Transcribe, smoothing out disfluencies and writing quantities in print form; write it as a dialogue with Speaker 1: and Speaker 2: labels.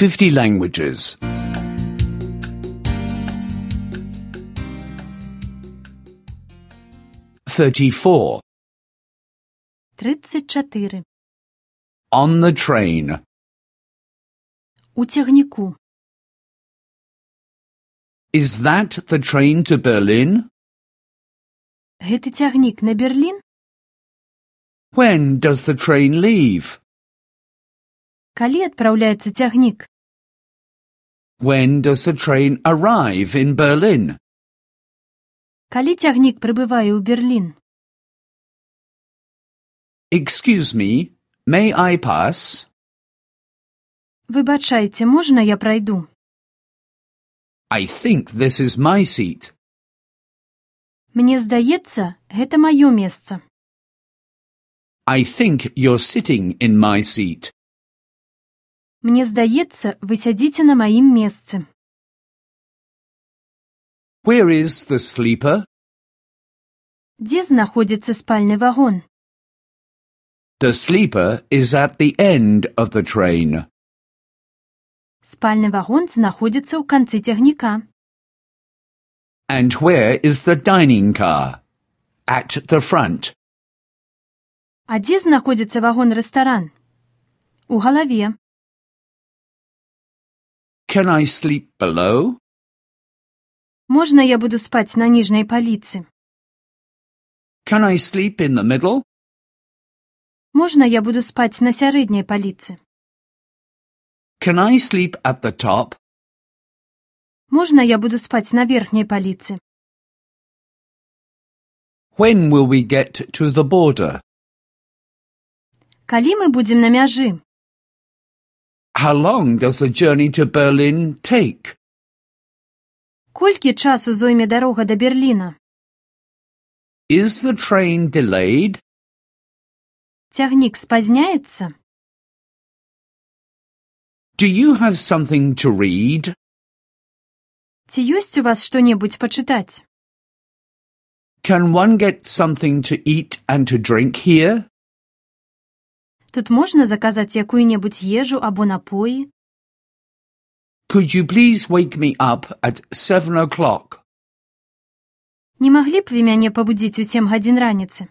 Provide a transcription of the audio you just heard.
Speaker 1: 50 languages. 34.
Speaker 2: 34.
Speaker 1: On the train.
Speaker 2: У цягніку.
Speaker 1: Is that the train to Berlin?
Speaker 2: Гэты цягнік на Берлін?
Speaker 1: When does the train leave?
Speaker 2: Калі адпраўляецца цягнік?
Speaker 1: When does the train arrive in Berlin?
Speaker 2: Калі цягнік прыбывае ў Берлін?
Speaker 1: Excuse me, may I pass?
Speaker 2: Выбачайце, можна я прайду?
Speaker 1: I think this is my seat.
Speaker 2: Мне здаецца, гэта маё месца.
Speaker 1: I think you're sitting in my seat.
Speaker 2: Мне здаецца, вы сядзіце на маім месцы.
Speaker 1: Where is the sleeper?
Speaker 2: Дзе знаходзіцца спальны вагон?
Speaker 1: The sleeper is at the end of the train.
Speaker 2: Спальны вагон знаходзіцца ў канцы цягніка.
Speaker 1: And where is the dining car? At the front.
Speaker 2: А дзе знаходзіцца вагон-рэстаран? У галаве.
Speaker 1: Can I sleep below?
Speaker 2: Можна я буду спаць на ніжняй паліцы?
Speaker 1: Can I sleep in the middle?
Speaker 2: Можна я буду спаць на сярэдняй паліцы?
Speaker 1: Can I sleep at the top?
Speaker 2: Можна я буду спаць на верхняй паліцы?
Speaker 1: When will we get to the border?
Speaker 2: Калі мы будзем на мяжы?
Speaker 1: How long does the journey to Berlin take?
Speaker 2: Колькі часу зойме дарога да Берліна?
Speaker 1: Is the train delayed?
Speaker 2: Цягнік спазняецца?
Speaker 1: Do you have something to read?
Speaker 2: Ці ёсць у вас што-небудзь пачытаць?
Speaker 1: Can one get something to eat and to drink here?
Speaker 2: Тут можна заказаць якую-небудзь ежу або напоі?
Speaker 1: Could you please wake me up at 7 o'clock?
Speaker 2: Не маглі б вы мяне пабудзіць у 7 гадзін раніцы?